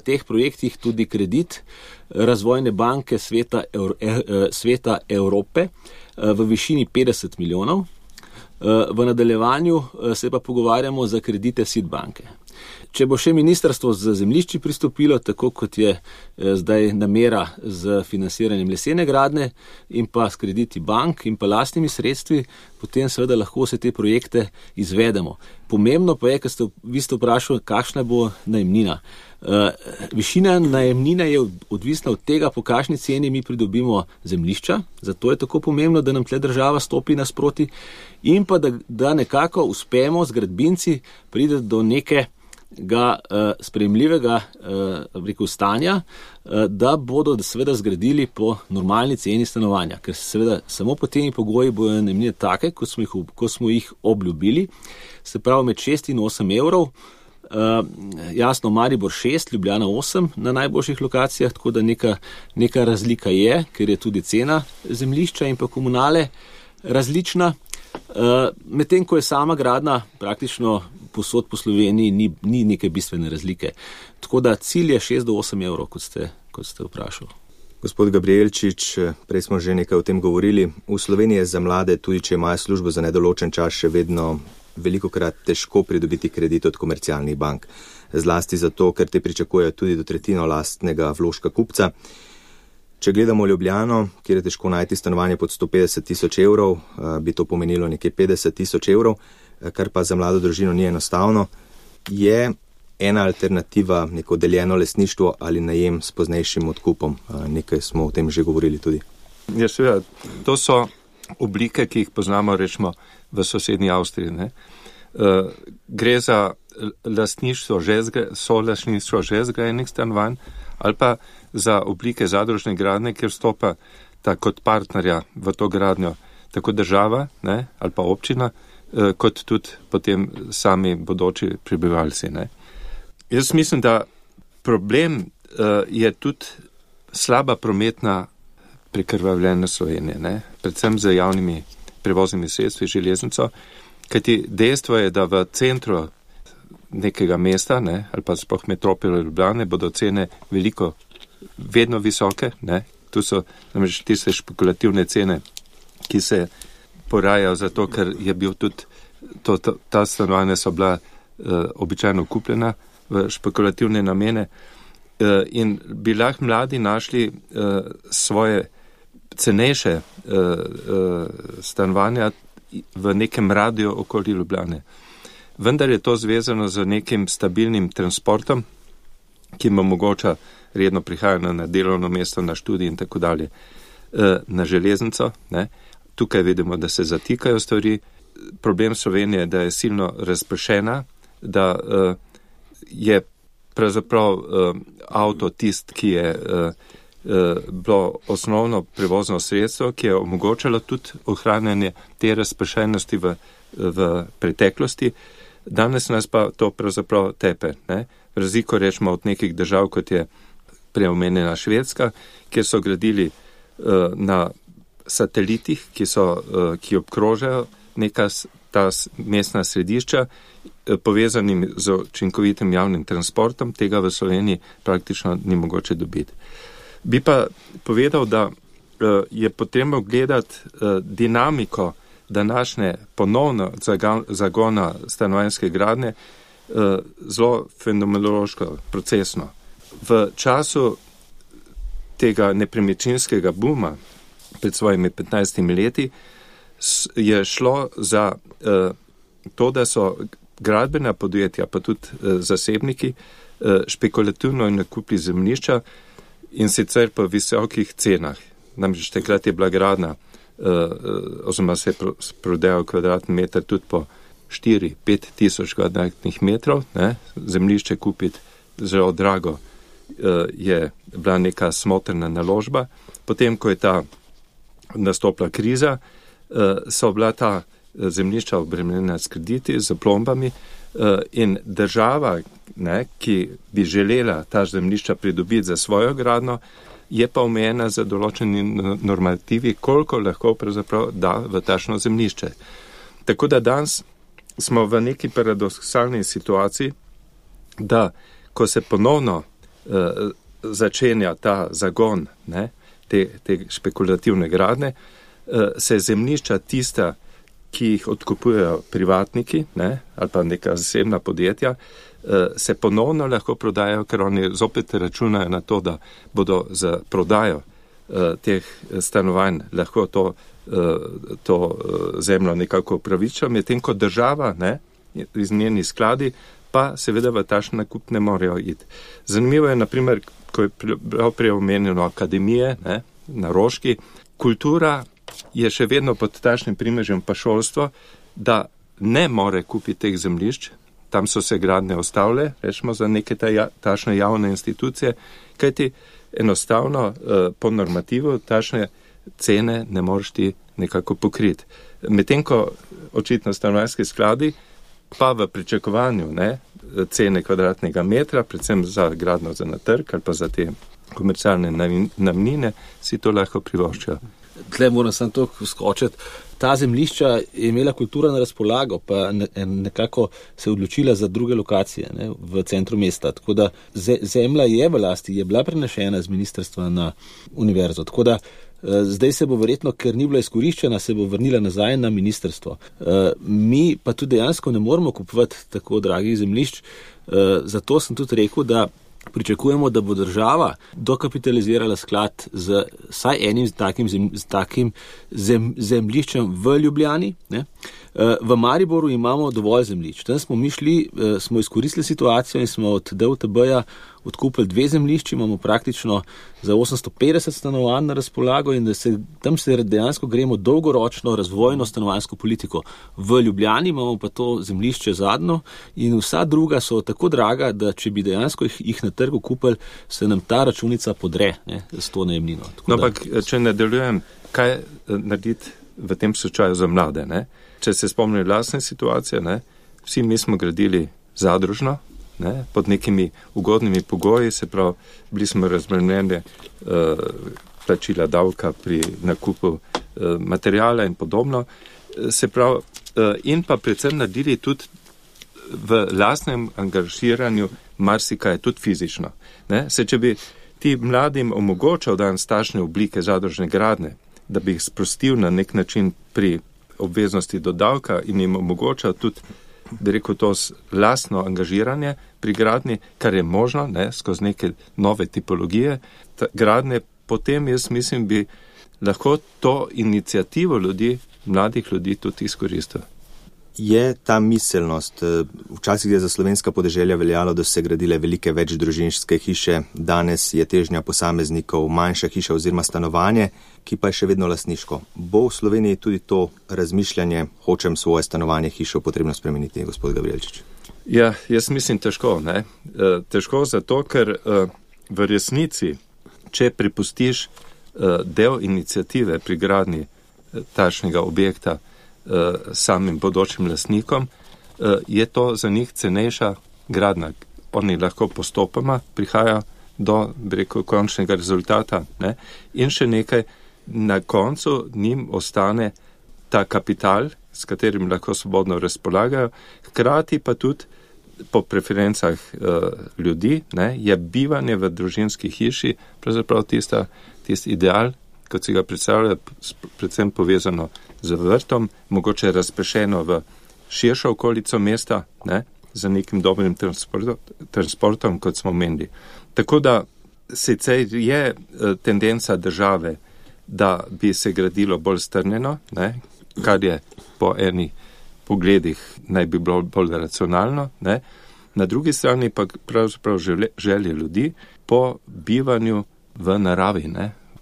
teh projektih tudi kredit Razvojne banke Sveta Evrope v višini 50 milijonov. V nadaljevanju se pa pogovarjamo za kredite SID banke. Če bo še ministrstvo za zemljišči pristopilo, tako kot je zdaj namera z financiranjem lesene gradnje in pa s krediti bank in pa lastnimi sredstvi, potem seveda lahko se te projekte izvedemo. Pomembno pa je, ker vi ste vprašali, kakšna bo najemnina. Višina najemnine je odvisna od tega, po kakšni ceni mi pridobimo zemljišča, zato je tako pomembno, da nam tle država stopi nasproti in pa da nekako uspemo z gradbinci pride do nekega sprejemljivega stanja, da bodo seveda zgradili po normalni ceni stanovanja, ker seveda samo po temi pogoji bojo najemnine take, kot smo jih obljubili, se pravi med 6 in 8 evrov. Jasno, Maribor 6, Ljubljana 8 na najboljših lokacijah, tako da neka razlika je, ker je tudi cena zemljišča in pa komunale različna. Medtem ko je sama gradnja praktično posod po Sloveniji ni neke bistvene razlike. Tako da cilj je 6 do 8 evrov, kot ste vprašali. Gospod Gabrielčič, prej smo že nekaj o tem govorili. V Sloveniji je za mlade, tudi če imajo službo za nedoločen čas, še vedno velikokrat težko pridobiti kredit od komercialnih bank. Zlasti zato, ker te pričakujejo tudi do tretjino lastnega vložka kupca. Če gledamo Ljubljano, kjer je težko najti stanovanje pod 150 tisoč evrov, bi to pomenilo nekje 50 tisoč evrov, kar pa za mlado družino ni enostavno. Je ena alternativa neko deljeno lastništvo ali najem s poznejšim odkupom? Nekaj smo o tem že govorili tudi. Ja, seveda, to so oblike, ki jih poznamo, rečemo, v sosednji Avstriji. Gre za lastništvo, solastništvo že zgrajenih stanovanj ali pa za oblike zadružne gradnje, kjer stopa kot partnerja v to gradnjo tako država, ali pa občina, kot tudi potem sami bodoči prebivalci. Jaz mislim, da problem je tudi slaba prometna prekrvavljena Slovenije, predvsem z javnimi prevoznimi sredstvi, železnico, kajti dejstvo je, da v centru nekega mesta, ali pa sploh metropole Ljubljane, bodo cene vedno visoke. Tu so namreč tiste špekulativne cene, ki se porajajo zato, ker je bil tudi ta stanovanja so bila običajno kupljena v špekulativne namene in bi lahko mladi našli svoje cenejše stanovanja v nekem radiju okoli Ljubljane. Vendar je to zvezano z nekim stabilnim transportom, ki jim omogoča redno prihajanje na delovno mesto, na študij in tako dalje, na železnico. Tukaj vidimo, da se zatikajo stvari. Problem Slovenije je, da je silno razpršena, da je pravzaprav avto tist, ki je bilo osnovno prevozno sredstvo, ki je omogočalo tudi ohranjanje te razpršenosti v preteklosti. Danes nas pa to pravzaprav tepe. Razliko rečemo od nekih držav, kot je preomenjena Švedska, kjer so gradili na satelitih, ki obkrožajo ta mestna središča, povezanim z učinkovitim javnim transportom. Tega v Sloveniji praktično ni mogoče dobiti. Bi pa povedal, da je potrebno gledati dinamiko današnje ponovno zagona stanovanjske gradnje zelo fenomenološko, procesno. V času tega nepremičninskega buma pred svojimi 15 leti je šlo za to, da so gradbena podjetja, pa tudi zasebniki, špekulativno nakupili zemljišča in sicer po visokih cenah. Namreč takrat je bila gradnja, oziroma se je prodajal kvadratni meter tudi po 4-5 tisoč kvadratnih metrov. Zemljišče kupiti zelo drago je bila neka smotrna naložba. Potem, ko je ta nastopila kriza, so bila ta zemljišča obremenjena s krediti, z plombami in država, ki bi želela ta zemljišča pridobiti za svojo gradnjo, je pa omejena za določeni normativi, koliko lahko pravzaprav da v takšno zemljišče. Tako da danes smo v neki paradoksalni situaciji, da ko se ponovno začenja ta zagon te špekulativne gradnje, se zemljišča tista, ki jih odkupujejo privatniki ali pa neka zasebna podjetja, se ponovno lahko prodajajo, ker oni zopet računajo na to, da bodo za prodajo teh stanovanj lahko to zemljo nekako upravičili, medtem ko država iz njeni skladi pa seveda v takšen nakup ne morejo iti. Zanimivo je, naprimer, ko je prej omenjeno akademije na Roški, kultura je še vedno pod takšnim primežem pa šolstvo, da ne more kupiti teh zemljišč, tam so se gradnje ustavile, rečemo za neke tašne javne institucije, kajti enostavno po normativu tašne cene ne moreš ti nekako pokriti. Medtem ko očitno stanovanjski skladi pa v pričakovanju cene kvadratnega metra, predvsem za gradno za na trg ali pa za te komercialne najemnine, si to lahko privoščijo. Tle moram samo to skočiti. Ta zemljišča je imela kultura na razpolago, pa nekako se odločila za druge lokacije v centru mesta. Tako da zemlja je v lasti, je bila prenešena z ministrstva na univerzo. Tako da zdaj se bo verjetno, ker ni bila izkoriščena, se bo vrnila nazaj na ministrstvo. Mi pa tudi dejansko ne moremo kupovati tako dragih zemljišč, zato sem tudi rekel, da pričakujemo, da bo država dokapitalizirala sklad z vsaj enim takim zemljiščem v Ljubljani. V Mariboru imamo dovolj zemljišč. Tam smo mi šli, smo izkoristili situacijo in smo od DUTB-ja odkupili 2 zemljišči, imamo praktično za 850 stanovanj na razpolago in tam se dejansko gremo dolgoročno razvojno stanovanjsko politiko. V Ljubljani imamo pa to zemljišče zadnjo in vsa druga so tako draga, da če bi dejansko jih na trgu kupili, se nam ta računica podre s to najemnino. Ampak, če nadaljujem, kaj narediti v tem slučaju za mlade? Če se spomnijo lastne situacije, vsi mi smo gradili zadružno, pod nekimi ugodnimi pogoji, se pravi, bili smo razbremenjeni plačila davka pri nakupu materijala in podobno, se pravi, in pa predvsem naredili tudi v lastnem angažiranju marsikaj, tudi fizično. Če bi ti mladim omogočal danes takšne oblike zadružne gradnje, da bi jih sprostil na nek način pri obveznosti do davka in jim omogočal tudi, bi rekel, to lastno angažiranje pri gradnji, kar je možno, skozi neke nove tipologije gradnje, potem jaz mislim, bi lahko to inicijativo ljudi, mladih ljudi tudi izkoristil. Je ta miselnost, včasih je za slovenska podeželja veljalo, da so se gradile velike večdružinske hiše, danes je težnja posameznikov manjša hiša oziroma stanovanje, ki pa je še vedno lastniško. Bo v Sloveniji tudi to razmišljanje, hočem svoje stanovanje, hišo potrebno spremeniti, gospod Gabrijelčič? Ja, jaz mislim težko. Težko zato, ker v resnici, če pripustiš del inicijative pri gradnji takšnega objekta samim bodočim lastnikom, je to za njih cenejša gradnja. Oni lahko postopoma prihajajo do, bi rekel, končnega rezultata. In še nekaj, na koncu njim ostane ta kapital, s katerim lahko svobodno razpolagajo, hkrati pa tudi po preferencah ljudi, je bivanje v družinski hiši pravzaprav tisti ideal, kot si ga predstavlja, predvsem povezano z vrtom, mogoče razprešeno v širšo okolico mesta, za nekim dobrim transportom, kot smo omenili. Tako da sicer je tendenca države, da bi se gradilo bolj strnjeno, kar je po eni pogledih naj bi bilo bolj racionalno, na drugi strani pa pravzaprav želje ljudi po bivanju v naravi,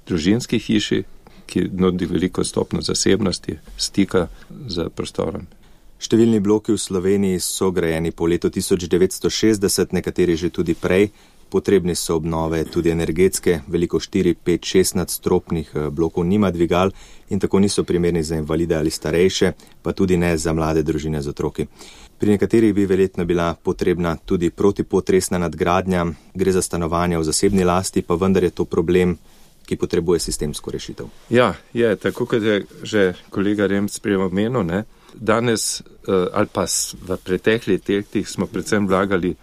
družinski hiši, ki nudi veliko stopno zasebnosti, stika z prostorom. Številni bloki v Sloveniji so grajeni po letu 1960, nekateri že tudi prej. Potrebni so obnove tudi energetske, veliko 4, 5, 6 nadstropnih blokov nima dvigal in tako niso primerni za invalide ali starejše, pa tudi ne za mlade družine z otroki. Pri nekaterih bi verjetno bila potrebna tudi protipotresna nadgradnja, gre za stanovanja v zasebni lasti, pa vendar je to problem, ki potrebuje sistemsko rešitev. Ja, je, tako kot je že kolega Remc prej omenil, danes ali pa v preteklih letih smo predvsem vlagali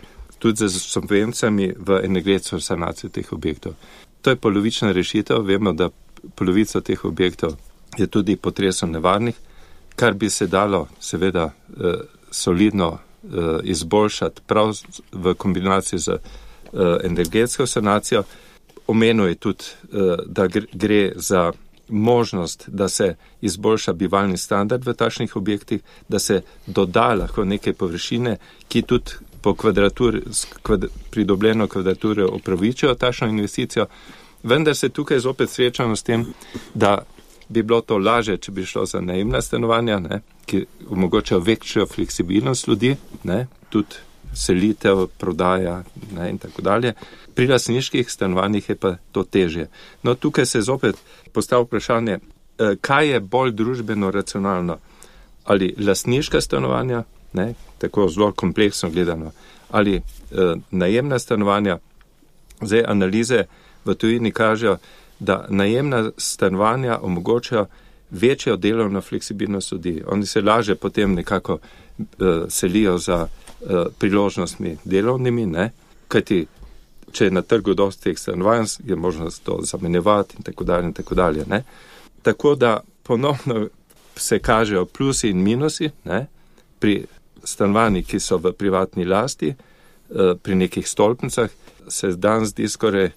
tudi z subvencijami v energetsko sanacijo teh objektov. To je polovična rešitev, vemo, da polovica teh objektov je tudi potresno nevarnih, kar bi se dalo seveda solidno izboljšati prav v kombinaciji z energetsko sanacijo. Omenil je tudi, da gre za možnost, da se izboljša bivalni standard v takšnih objektih, da se doda lahko neke površine, ki tudi po pridobljeno kvadraturo upravičijo takšno investicijo, vendar se tukaj zopet srečamo s tem, da bi bilo to laže, če bi šlo za najemna stanovanja, ki omogočajo večjo fleksibilnost ljudi, tudi selitev, prodaja, ne, in tako dalje. Pri lastniških stanovanjih je pa to težje. No, tukaj se zopet postavlja vprašanje, kaj je bolj družbeno racionalno? Ali lastniška stanovanja, ne, tako zelo kompleksno gledano, ali najemna stanovanja. Zdaj analize v tujini kažejo, da najemna stanovanja omogočajo večjo delovno fleksibilnost ljudi. Oni se lažje potem nekako selijo za priložnostmi delovnimi, ne, kajti če je na trgu dosti teh stanovanj, je možnost to zamenjevati in tako dalje, ne. Tako da ponovno se kažejo plusi in minusi, ne, pri stanovanjih, ki so v privatni lasti, pri nekih stolpnicah, se danes zdi skoraj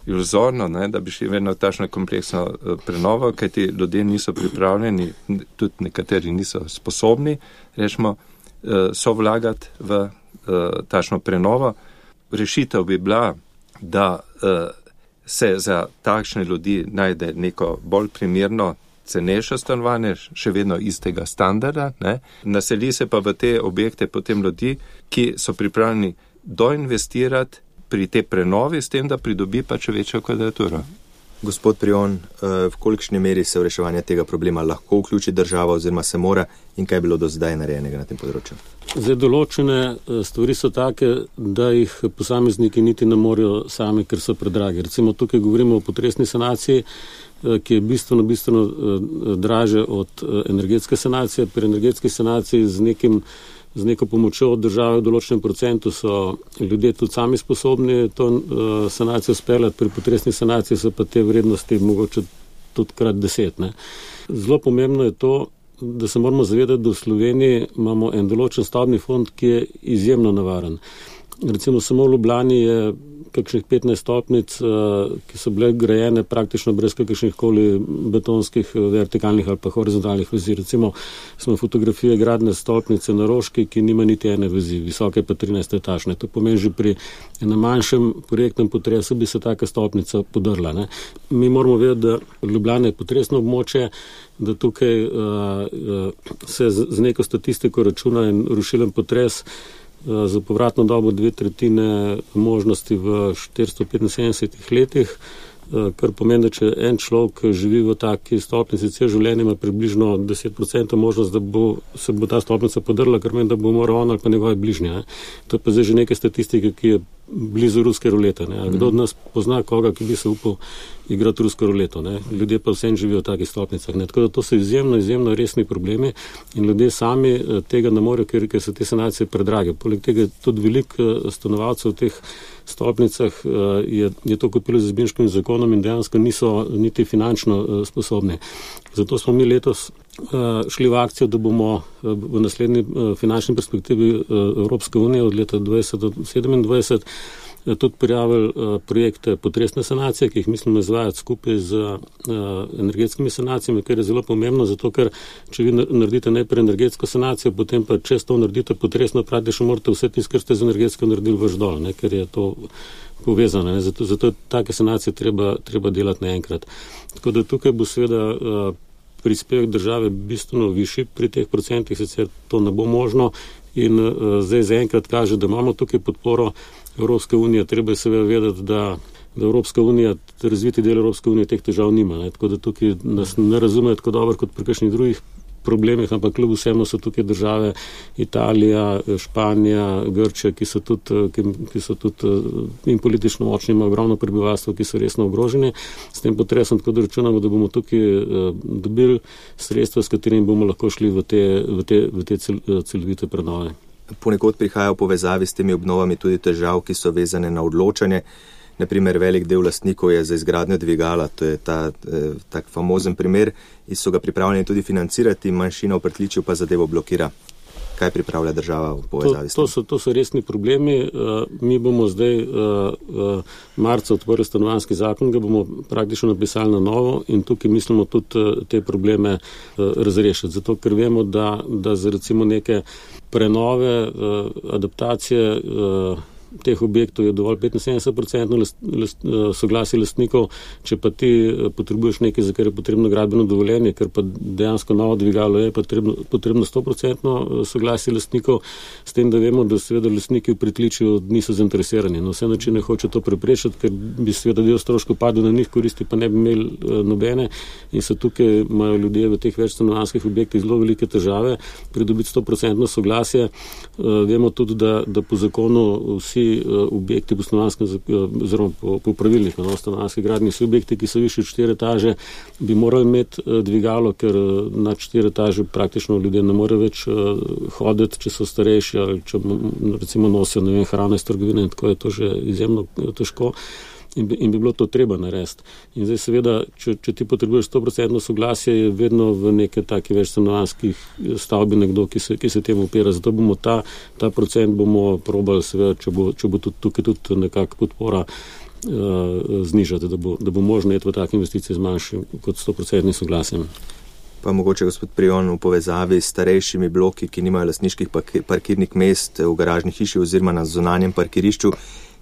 iluzorno, ne, da bi šli vedno takšno kompleksno prenovo, kajti ljudje niso pripravljeni, tudi nekateri niso sposobni, rečemo, sovlagati v takšno prenovo. Rešitev bi bila, da se za takšne ljudi najde neko bolj primerno, cenejše stanovanje, še vedno istega standarda, ne. Naseli se pa v te objekte potem ljudi, ki so pripravljeni doinvestirati pri te prenovi, s tem, da pridobi pač večjo kvadraturo. Gospod Prijon, v kolikšni meri se v reševanje tega problema lahko vključi država oziroma se mora in kaj je bilo do zdaj narejenega na tem področju? Zdaj, določene stvari so take, da jih posamezniki niti ne morejo sami, ker so predragi. Recimo tukaj govorimo o potresni sanaciji, ki je bistveno draže od energetske sanacije. Pri energetski sanaciji z neko pomočjo od države v določenem procentu so ljudje tudi sami sposobni to sanacijo speljati, pri potresni sanaciji so pa te vrednosti mogoče tudi krat 10. Ne. Zelo pomembno je to, da se moramo zavedati, da v Sloveniji imamo en določen stavbni fond, ki je izjemno nevaren. Recimo samo v Ljubljani je kakšnih 15 stolpnic, ki so bile grajene praktično brez kakršnih koli betonskih, vertikalnih ali pa horizontalnih vezi. Recimo smo fotografije gradne stolpnice na Roški, ki nima niti ene vezi, visoke pa 13 etažne. To pomeni, že pri enem manjšem projektnem potresu bi se taka stolpnica podrla. Ne. Mi moramo vedeti, da Ljubljana je potresno območje, da tukaj se z neko statistiko računa en rušilen potres za povratno dobo 2/3 možnosti v 475 letih, kar pomeni, da če en človek živi v taki stolpnici cel življenje, ima približno 10% možnost, da se bo ta stolpnica podrla, kar meni, da bo moral on ali pa njegove bližnje. Ne. To je pa zdaj že neke statistike, ki je blizu ruske rulete. Ne. Kdo od nas pozna koga, ki bi se upal igrati rusko ruleto? Ne. Ljudje pa vsem živijo v takih stolpnicah. Ne. Tako da to so izjemno resni problemi in ljudje sami tega ne morejo, ker so te sanacije predrage. Poleg tega tudi veliko stanovalcev v teh stolpnicah je to kupilo z izbinškim zakonom in dejansko niso niti finančno sposobni. Zato smo mi letos šli v akcijo, da bomo v naslednji finančni perspektivi Evropske unije od leta 2020 do 2027 tudi prijavili projekte potresne sanacije, ki jih mislimo izvajati skupaj z energetskimi sanacijami, kar je zelo pomembno, zato ker če vi naredite najprej energetsko sanacijo, potem pa če to naredite potresno, praktično morate vse tisto, kar ste z energetsko naredili, vrš dol, ne, ker je to povezano. Ne. Zato take sanacije treba delati naenkrat. Tako da tukaj bo seveda prispevek države bistveno višji pri teh procentih, sicer to ne bo možno in zdaj zaenkrat kaže, da imamo tukaj podporo Evropske unije. Treba je seveda vedeti, da Evropska unija, razviti del Evropske unije teh težav nima. Ne. Tako da tukaj nas ne razumejo tako dobro kot pri kakšnih drugih problemih, ampak kljub vsemu so tukaj države Italija, Španija, Grčija, ki so tudi in politično močni, ima ogromno prebivalstvo, ki so resno ogroženi s tem potresom, tako da računamo, da bomo tukaj dobili sredstva, s katerimi bomo lahko šli v te celovite prenove. Ponekod prihaja v povezavi s temi obnovami tudi težav, ki so vezane na odločanje. Naprimer, velik del lastnikov je za izgradnjo dvigala, to je tak famozen primer, in so ga pripravljeni tudi financirati, manjšina v Prtličju pa zadevo blokira. Kaj pripravlja država v povezavi s tem? To so resni problemi. Mi bomo zdaj marca odprli stanovanjski zakon, ga bomo praktično napisali na novo in tukaj mislimo tudi te probleme razrešiti. Zato, ker vemo, da za recimo neke prenove, adaptacije teh objektov je dovolj 75% soglasje lastnikov, če pa ti potrebuješ nekaj, za kar je potrebno gradbeno dovoljenje, ker pa dejansko novo dvigalo je potrebno 100% soglasje lastnikov, s tem, da vemo, da seveda lastniki v pritličju niso zainteresirani. Na vse načine hoče to preprečiti, ker bi seveda del stroškov padel na njih, koristi pa ne bi imeli nobene in se tukaj imajo ljudje v teh večstanovanjskih objektih zelo velike težave pridobiti 100% soglasje. Vemo tudi, da po zakonu vsi objekti po stanovanjskem oziroma po pravilih na stanovanjski gradnji, vsi objekti, ki so višji od 4 etaže, bi morali imeti dvigalo, ker nad 4 etaže praktično ljudje ne more več hoditi, če so starejši ali če recimo nosijo hrano iz trgovine in tako je to že izjemno težko. In bi bilo to treba narediti. In zdaj seveda, če ti potrebuješ 100% soglasje, je vedno v neke take več stanovanjskih stavbi nekdo, ki se temu upira. Zato bomo ta procent bomo probali, seveda, če bo tukaj tudi nekako podpora znižati, da bo možno iti v take investicije z manjšim kot 100% soglasjem. Pa mogoče, gospod Prijon, v povezavi s starejšimi bloki, ki nimajo lastniških parkirnih mest v garažni hiši oziroma na zunanjem parkirišču,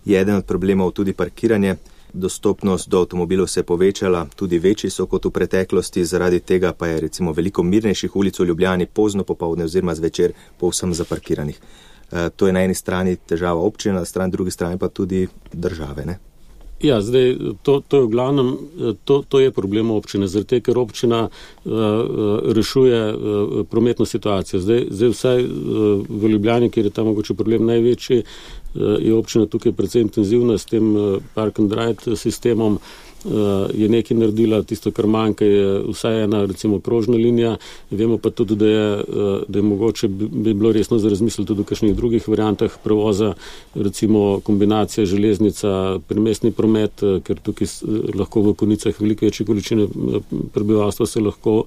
je eden od problemov tudi parkiranje. Dostopnost do avtomobilov se je povečala, tudi večji so kot v preteklosti, zaradi tega pa je recimo veliko mirnejših ulic v Ljubljani pozno popoldne oziroma zvečer povsem zaparkiranih. To je na eni strani težava občine, na drugi strani pa tudi države, ne? Ja, zdaj, to je v glavnem, to je problem občine, zaradi tega, ker občina rešuje prometno situacijo. Zdaj vsaj v Ljubljani, kjer je tam mogoče problem največji, je občina tukaj precej intenzivna s tem park and ride sistemom, je nekaj naredila, tisto, kar manjka, je vsaj ena, recimo, krožna linija. Vemo pa tudi, da je mogoče bi bilo resno za razmisliti tudi v kakšnih drugih variantah prevoza, recimo kombinacija železnica, primestni promet, ker tukaj lahko v konicah velike večje količine prebivalstva se lahko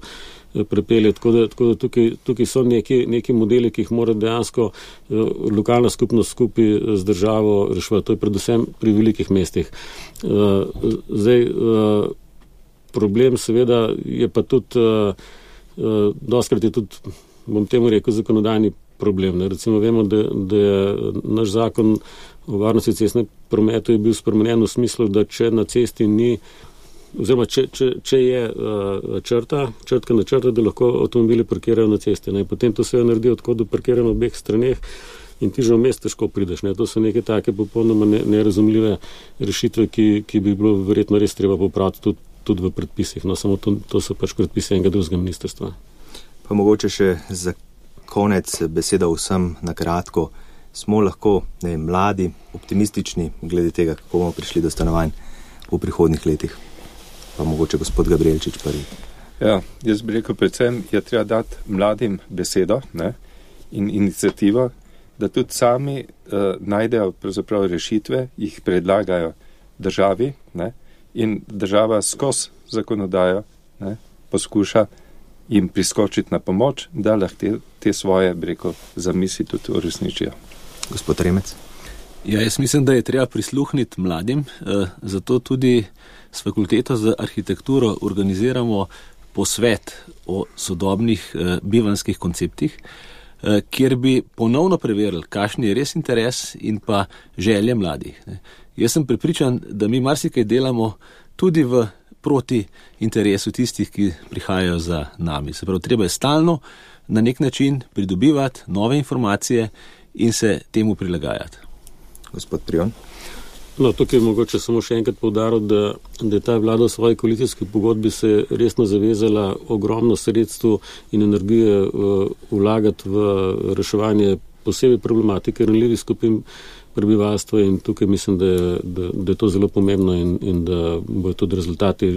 prepelje. Tako da tukaj so neki modeli, ki jih mora dejansko lokalna skupnost skupaj z državo reševati. To je predvsem pri velikih mestih. Zdaj, problem seveda je pa tudi, dostakrat je tudi, bom temu rekel, zakonodajni problem. Recimo vemo, da je naš zakon o varnosti cestnega prometa je bil spremenjen v smislu, da če na cesti ni oziroma, če je črtka na črta, da lahko avtomobili parkirajo na cesti. Potem to se je naredilo tako, da parkirajo na obeh straneh in ti že v mest težko prideš. To so neke take popolnoma nerazumljive rešitve, ki bi bilo verjetno res treba popraviti tudi v predpisih. No, samo to so pač predpisi enega drugega ministrstva. Pa mogoče še za konec beseda vsem na kratko. Smo lahko mladi, optimistični glede tega, kako bomo prišli do stanovanj v prihodnjih letih? Pa mogoče gospod Gabrielčič prvi. Ja, jaz bi rekel, predvsem je treba dati mladim besedo, ne, in inicijativo, da tudi sami najdejo pravzaprav rešitve, jih predlagajo državi, ne, in država skozi zakonodajo, ne, poskuša jim priskočiti na pomoč, da lahko te svoje, bi rekel, zamisli tudi uresničijo. Gospod Remec. Ja, jaz mislim, da je treba prisluhniti mladim, zato tudi s fakulteto za arhitekturo organiziramo posvet o sodobnih bivanjskih konceptih, kjer bi ponovno preverili, kakšen je res interes in pa želje mladih. Jaz sem prepričan, da mi marsikaj delamo tudi proti interesu tistih, ki prihajajo za nami. Se pravi, treba je stalno na nek način pridobivati nove informacije in se temu prilagajati. Gospod Prijon. No, tukaj je mogoče samo še enkrat poudaril, da je ta vlada v svoji koalicijski pogodbi se resno zavezala ogromno sredstv in energije vlagati v reševanje posebej problematike ranljivih skupin prebivalstva in tukaj mislim, da je to zelo pomembno in da bodo tudi rezultati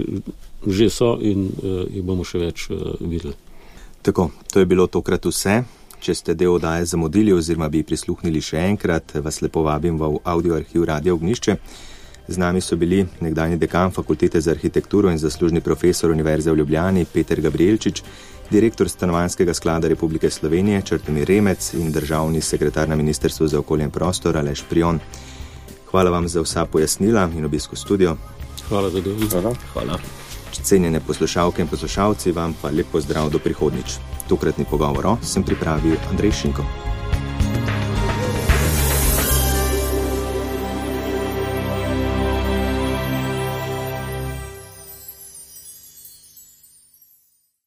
že so in jih bomo še več videli. Tako, to je bilo tokrat vse. Če ste del oddaje zamudili oziroma bi prisluhnili še enkrat, vas lepo vabim v audio arhiv Radia Ognjišče. Z nami so bili nekdanji dekan Fakultete za arhitekturo in zaslužni profesor Univerze v Ljubljani Peter Gabrielčič, direktor Stanovanjskega sklada Republike Slovenije Črtomir Remec in državni sekretar na Ministrstvu za okolje in prostor Aleš Prijon. Hvala vam za vsa pojasnila in obisk v studio. Hvala za delo. Hvala. Cenjene poslušalke in poslušalci, vam pa lep pozdrav do prihodnjič. Tokratni pogovor sem pripravil Andrej Šinko.